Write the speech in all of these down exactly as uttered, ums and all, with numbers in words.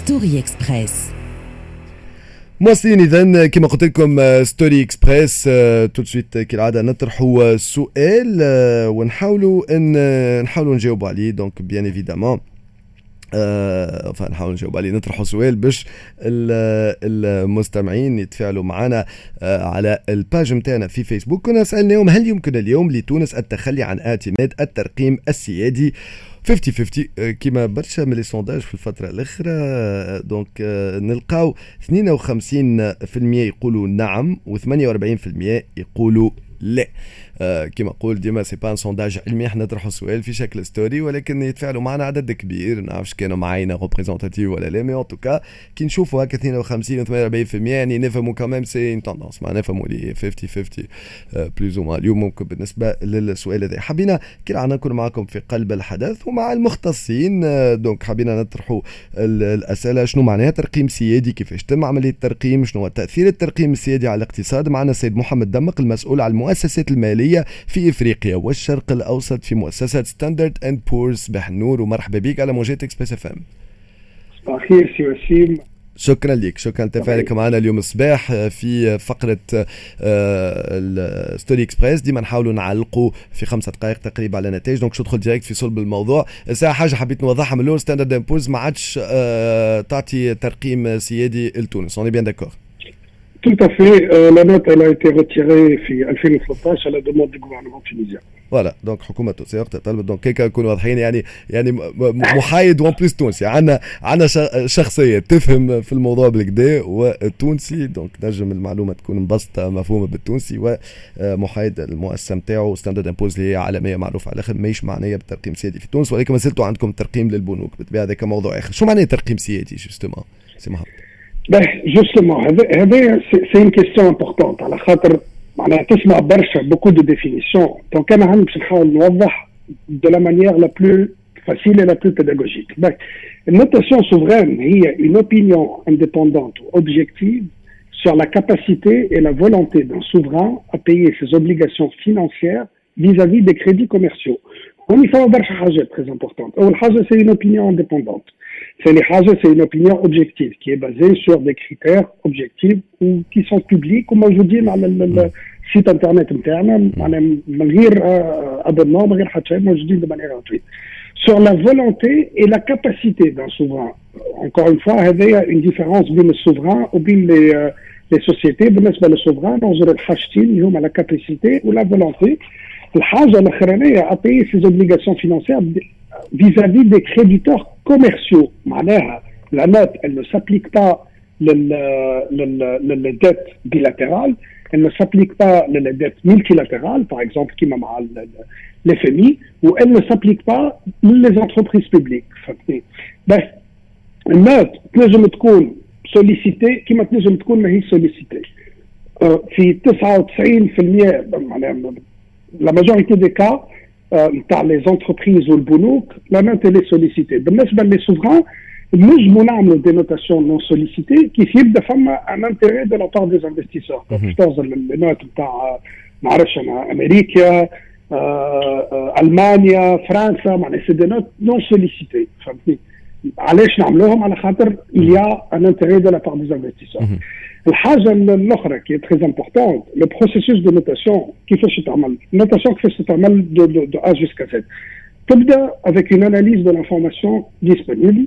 Story Express. مواصلين اذا كما قلت لكم Story Express، tout de suite كالعادة نطرحوا سؤال ونحاولوا ان نحاولوا نجاوبوا عليه. donc bien évidemment أه نحاول نجاوب عليه، نطرحوا سؤال باش المستمعين يتفاعلوا معنا أه على ال page نتاعنا في فيسبوك. كنا سالناهم: هل يمكن اليوم لتونس التخلي عن اعتماد الترقيم السيادي؟ خمسين خمسين آه، كيما برشا من les sondages في الفترة الأخرى. donc نلقاو اثنين وخمسين في المية يقولوا نعم وثمانية وأربعين في المية يقولوا لا. آه كما نقول ديما، c'est pas un sondage علمي، احنا نطرحوا سؤال في شكل story ولكن يتفاعلوا معنا عدد كبير. نعرفش كانوا معاينة représentative ولا لا، mais en tout cas كي نشوفوا هكا اثنين وخمسين و ثمانية وأربعين في المية يعني نفهموا quand même c'est une tendance، ما نفهموا لي خمسين خمسين plus ou moins. اليوم ممكن بالنسبة للسؤال هذا حبينا كالعادة نكون معكم في قلب الحدث ومع المختصين، donc حبينا نطرحوا الاسئله: شنو معناها ترقيم سيادي؟ كيفاش تم عملية الترقيم؟ شنو هو تاثير الترقيم السيادي على الاقتصاد؟ معنا السيد محمد دمق، المسؤول على المؤسسات المالية في افريقيا والشرق الاوسط في مؤسسة Standard and Poor's. صباح النور ومرحبا بك على موجات Express FM. صباح الخير سي وسيم. شكرا لك، شكرا لتفاعلك معنا اليوم الصباح في فقرة ال Story Express. ديما نحاولوا نعلقوا في خمسة دقائق تقريبا على نتائج، donc ندخل direct في صلب الموضوع. الساعة حاجة حبيت نوضحها من الأول: Standard and Poor's ما عادش آه، تعطي ترقيم سيادي لتونس، on est bien d'accord؟ Tout à fait. Euh, la note, elle a été retirée في ألفين وثلاثة عشر à la demande du gouvernement tunisien. voilà، donc حكومة التونسية وقتها طلبت، donc هيك نكونوا واضحين، يعني يعني محايد و en plus تونسي. عندنا عندنا شخصية تفهم في الموضوع بالقدا والتونسي، donc نجم المعلومة تكون مبسطة مفهومه بالتونسي ومحايد. المؤسسة نتاعو Standard and Poor's اللي هي عالمية معروفة على الاخر ماهيش معنية بالترقيم السيادي في تونس، ولكن ما زلتوا عندكم ترقيم للبنوك بالطبيعه، هذاك موضوع اخر. شو معناه ترقيم سيادي justement سي محمد؟ justement هذا c'est une question importante على خاطر معناها تسمع برشا beaucoup de définitions، donc انا هاني باش نحاول نوضح de la manière la plus facile et la plus pédagogique. Une notation souveraine هي une opinion indépendante ou objective sur la capacité et la volonté d'un souverain à payer ses obligations financières vis-à-vis des crédits commerciaux. هوني فما برشا حاجات très importantes. أول حاجة، c'est une opinion indépendante. ثاني حاجة، c'est une opinion objective qui est basée sur des critères objectifs ou qui sont publics وموجودين على ال site internet نتاعنا، معناها من غير abonnement، من غير حتى شيء، موجودين de manière gratuite. Sur la volonté et la capacité d'un souverain. Encore une fois، هذايا une différence بين ال souverain وبين les les sociétés. بالنسبة لل souverain ننظروا الحاجتين اللي هما la capacité و la volonté. الحاجة الاخرانية، à payer ses obligations financières vis-à-vis des créditeurs commerciaux. معناها la note, elle ne s'applique pas لل dettes bilatérales, elle ne s'applique pas les dettes multilatérales, par exemple كيما مع l'F M I, ou elle ne s'applique pas les entreprises publiques. بس ال note تنجم تكون sollicitée كيما تنجم تكون ماهيش sollicitée. في تسعة وتسعين في المية، معناها la majorité des cas نتاع les entreprises والبنوك، la note elle est sollicitée. بالنسبة les souverains نجموا نعملوا des notations non sollicitées كيف يبدا فما un intérêt de la part des investisseurs. باش تغزر les notes نتاع ما نعرفش انا امريكا، المانيا، فرنسا، معناها c'est des notes non sollicitées. فهمتني؟ علاش نعملوهم؟ على خاطر il y a un intérêt de la part des investisseurs. الحاجة الاخرى qui est très importante، le processus de notation كيفاش تعمل؟ ال notation كيفاش تتعمل de, de, de A jusqu'à Z؟ تبدا avec une analyse de l'information disponible،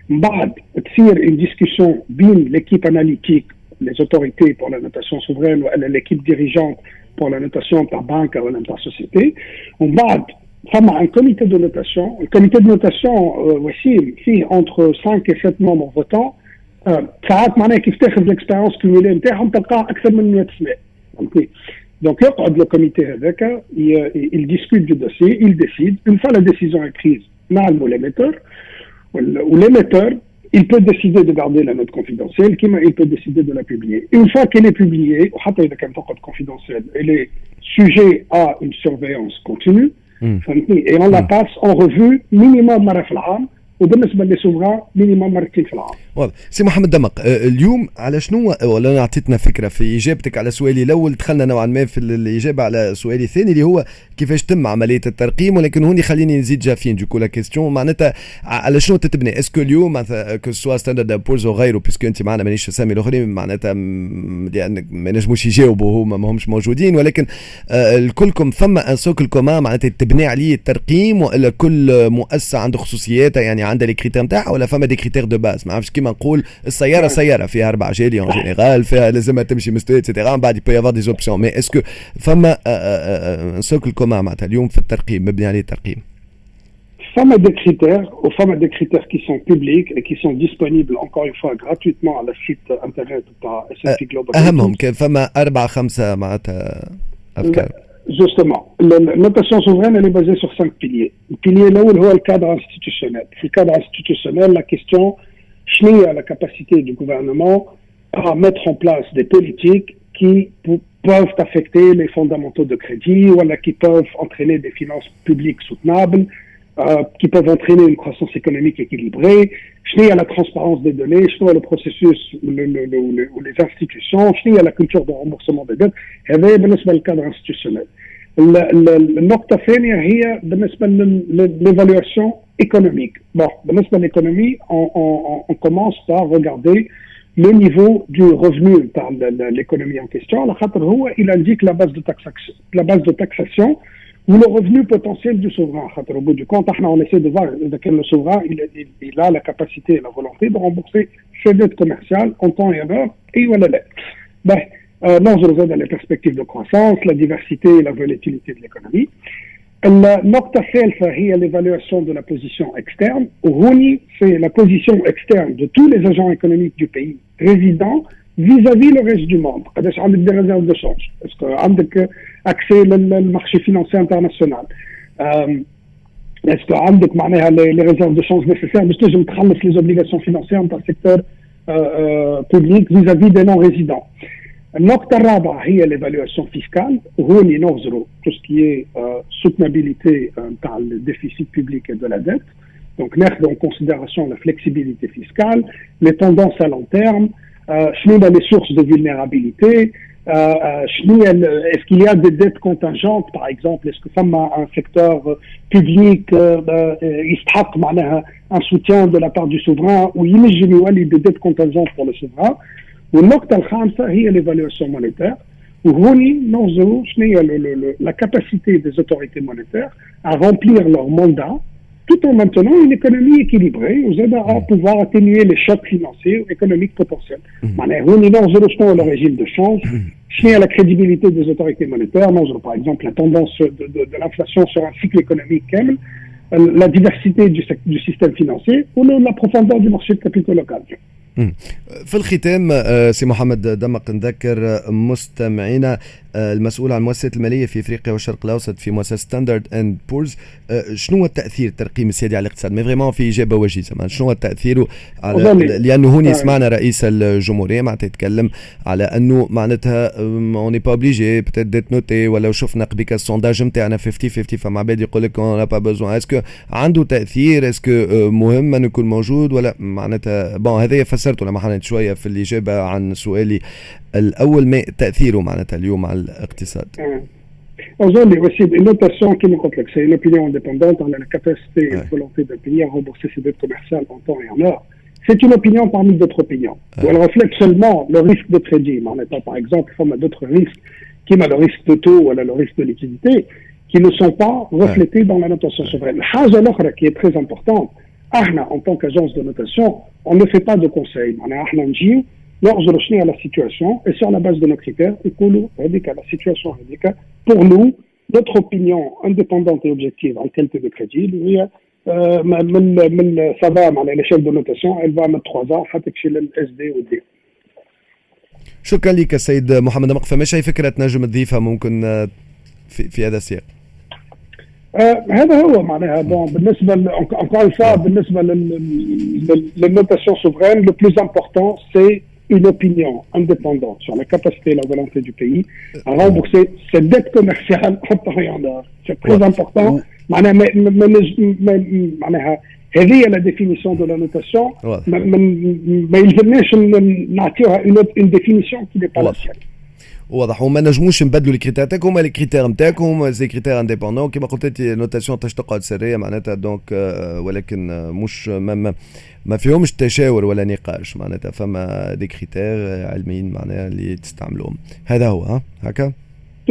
من بعد تصير une discussion بين l'équipe analytique، les autorités pour la notation souveraine ولا l'équipe dirigeante pour la notation تاع بنك ولا تاع société، ومن بعد فما un comité de notation. ال comité de notation وسيم فيه entre cinq et sept membres votants. ساعات معناها كيف تاخذ l'expérience cumulée نتاعهم تلقاه اكثر من مية سنه، فهمتني؟ donc يقعد le comité هذاك، il discute du dossier، il décide. une fois la décision est prise، نعلموا l'émetteur، و l'émetteur il peut décider de garder la note confidentielle كما il peut décider de la publier. Une fois qu'elle est publiée، وحتى إذا كانت تقعد confidentielle، elle est sujet à une surveillance continue، فهمتني؟ et on la passe en revue minimum مرة في العام. وبالنسبة لل souverains minimum مرتين في العام. واضح. سي محمد دمق، آه، اليوم على شنو ولا اعطيتنا فكرة في اجابتك على سؤالي الاول، دخلنا نوعا ما في الاجابة على سؤالي الثاني اللي هو كيفاش تم عملية الترقيم، ولكن هوني خليني نزيد j'affine du coup la question، معناتها على شنو تتبني؟ est-ce que اليوم مثلا que ce soit Standard and Poor's وغيره، puisque انت معنا مانيش اسامي الاخرين معناتها لان ما نجموش يجاوبوا هما ما همش موجودين، ولكن آه، الكلكم فما un socle commun معناتها تبني عليه الترقيم، والا كل مؤسسة عنده خصوصياتها، يعني عندها les critères نتاعها، ولا فما des critères de base؟ ما عرفتش، كيما نقول السيارة سيارة فيها اربع عجالي en général، فيها لازمها تمشي مستوى et cetera، من بعد il peut y avoir des options، mais est-ce que فما un socle commun معناتها اليوم في الترقيم مبني عليه الترقيم؟ فما des critères, وفما des critères qui sont publics et qui sont disponibles encore une fois gratuitement على ال site internet تاع S&P Global. اهمهم كان فما اربعة خمسة معناتها افكار. Justement, la notation souveraine, elle est basée sur cinq piliers. Le pilier الأول هو ال cadre institutionnel. في ال cadre institutionnel, la question شنو هي la capacité du gouvernement à mettre en place des politiques qui peuvent affecter les fondamentaux de crédit ou qui peuvent entraîner des finances publiques soutenables, euh, qui peuvent entraîner une croissance économique équilibrée. شنو هي la transparence des données, شنو هو le processus le, le, le, ou les institutions, شنو هي la culture de remboursement des dettes. هذا بالنسبة لل cadre institutionnel. النقطة الثانية هي بالنسبة l'évaluation économique. Bon, بالنسبة l'économie, on, on, on commence par regarder le niveau du revenu par l'économie en question. على خاطر هو il indique la base de taxation, la base de taxation ou le revenu potentiel du souverain. Au bout du compte, on essaie de voir que le souverain il, il, il a la capacité et la volonté de rembourser ses dettes commerciales en temps et en heure et ولا لا. Ben, euh, ننظر زاد les perspectives de croissance, la diversité et la volatilité de l'économie. النقطة الثالثة هي l'évaluation de la position externe. وهوني c'est la position externe de tous les agents économiques du pays résidents vis-à-vis le reste du monde. قداش عندك des réserves de change؟ Est-ce que عندك accès لل marché financier international؟ Est-ce que عندك معناها les réserves de change nécessaires باش تنجم تخلص les obligations financières نتاع ال secteur public vis-à-vis des non résidents؟ النقطة الرابعة هي l'évaluation fiscale. وهوني نغزروا tout ce qui est soutenabilité نتاع ال déficit public et de la dette. Donc ناخذ en considération la flexibilité fiscale, les tendances à long terme, شنو les sources de vulnérabilité, شنو est-ce qu'il y a des dettes contingentes par exemple, est-ce que فما un secteur public يستحق معناها un soutien de la part du souverain وينجم يولي des dettes contingentes pour le souverain. والنقطة الخامسة هي l'évaluation monétaire. وهوني ننظروا شنو هي la capacité des autorités monétaires à remplir leur mandat tout en maintenant une économie équilibrée وزاد à pouvoir atténuer les chocs financiers ou économiques potentiels. معناها هوني ننظروا شنو هو le régime de change, شنو هي la crédibilité des autorités monétaires, ننظروا par exemple la tendance de, de, de l'inflation sur un cycle économique كامل, la diversité du, du système financier ou la profondeur du marché de capitaux local. في الختام سي محمد دمق، نذكر مستمعينا المسؤول عن المؤسسات المالية في افريقيا والشرق الاوسط في مؤسسة Standard and Poor's، شنو هو التاثير الترقيم السيادي على الاقتصاد؟ mais vraiment في اجابه وجيزه، شنو هو التاثير على، لانه هوني سمعنا رئيس الجمهورية معناتها يتكلم على انه معناتها on n'est pas obligé peut-être d'être noté، ولا شفنا قبيك ال sondage نتاعنا خمسين خمسين، فما عباد يقول لك on n'a pas besoin. Est-ce que عنده تاثير؟ Est-ce que مهم انه يكون موجود ولا معناتها؟ Bon، هذا فسرته لما حنت شوية في الاجابة عن سؤالي الاول، ما تاثيره معناتها اليوم على الاقتصاد؟ Aujourd'hui, aussi, une notation qui me complexe, c'est une opinion indépendante على la capacité et la volonté d'un pays à rembourser ses dettes commerciales en temps et en heure. C'est une opinion parmi d'autres opinions. Ouais. Elle reflète seulement le risque de crédit. معناتها, par exemple, فما d'autres risques, كيما le risque de taux ou le risque de liquidité, qui ne sont pas reflétés ouais. dans la notation souveraine. الحاجة الأخرى qui est très importante, احنا en tant qu'agence de notation, on ne fait pas de conseil. معناها احنا نجيو نغزروا شنو هي la situation et sur la base de nos critères نقولوا هذيك la situation هذيك pour nous, notre opinion indépendante et objective en qualité de crédit هي من من ça va معناها l'échelle de notation elle va من trois A حتى تمشي لل S D و D. شكرا لك السيد محمد دمق. فماش اي فكرة تنجم تضيفها ممكن في, في هذا السياق؟ آه هذا هو معناها. Bon، بالنسبة encore une fois، بالنسبة لل notation souveraine, le plus important, c'est une opinion indépendante sur la capacité et la volonté du pays à rembourser ses dettes commerciales en temps et en heure. C'est très important. معناها معناها هذه هي la définition de la notation. ما يلزمناش نعطيوها une définition qui n'est pas la sienne. واضح، وما نجموش نبدلوا les critères تاعكم، هما les critères نتاعكم، c'est critères indépendants. كيما قلت انت، notation تاش تقعد سرية معناتها، donc ولكن مش ما, ما, ما فيهمش تشاور ولا نقاش، معناتها فما des critères علميين معناها اللي تستعملوهم. هذا هو، ها هكا.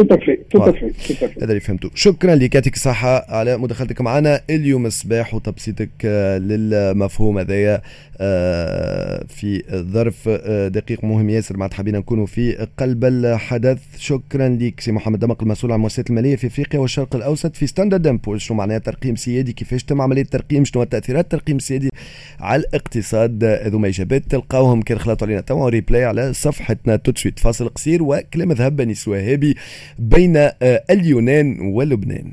tout à fait، tout à fait، tout à fait. هذا اللي فهمته. شكرا لك، يعطيك الصحة على مداخلتك معنا اليوم الصباح وتبسيطك آه، للمفهوم هذايا آه، في ظرف آه، دقيق مهم ياسر، معناتها حبينا نكونوا في قلب الحدث. شكرا لك سي محمد دمق، المسؤول عن المؤسسات المالية في افريقيا والشرق الاوسط في ستاندرد اند بورز. شنو معناها ترقيم سيادي؟ كيفاش تم عملية الترقيم؟ شنو تاثيرات الترقيم السيادي على الاقتصاد؟ هذوما اجابات تلقاوهم كان خلطوا علينا توا replay على صفحتنا tout de suite. فاصل قصير وكلام ذهب بني سواهبي بين اليونان ولبنان.